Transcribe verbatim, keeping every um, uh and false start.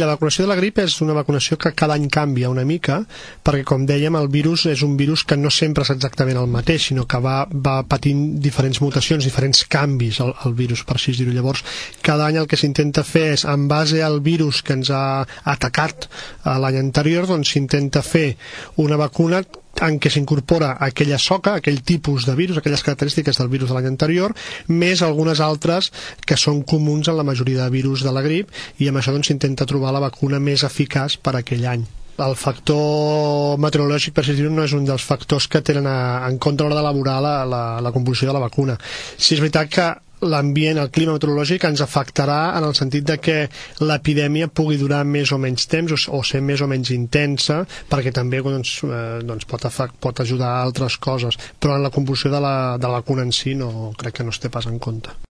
La vacunació de la grip és una vacunació que cada any canvia una mica, perquè, com dèiem, el virus és un virus que no sempre és exactament el mateix, sinó que va, va patint diferents mutacions, diferents canvis el, el virus, per així dir-ho. Llavors, cada any el que s'intenta fer és, en base al virus que ens ha atacat l'any anterior, doncs s'intenta fer una vacuna en què s'incorpora aquella soca, aquell tipus de virus, aquelles característiques del virus de l'any anterior, més algunes altres que són comuns en la majoria de virus de la grip, i amb això doncs s'intenta trobar la vacuna més eficaç per a aquell any. El factor meteorològic, per així dir-ho, no és un dels factors que tenen a, en compte a l'hora d'elaborar la, la, la composició de la vacuna. Sí, és veritat que l'ambient, el clima meteorològic ens afectarà en el sentit de que l'epidèmia pugui durar més o menys temps o, o ser més o menys intensa, perquè també doncs, eh, doncs pot, afect, pot ajudar a altres coses, però en la composició de la, de la vacuna en si no, crec que no es té pas en compte.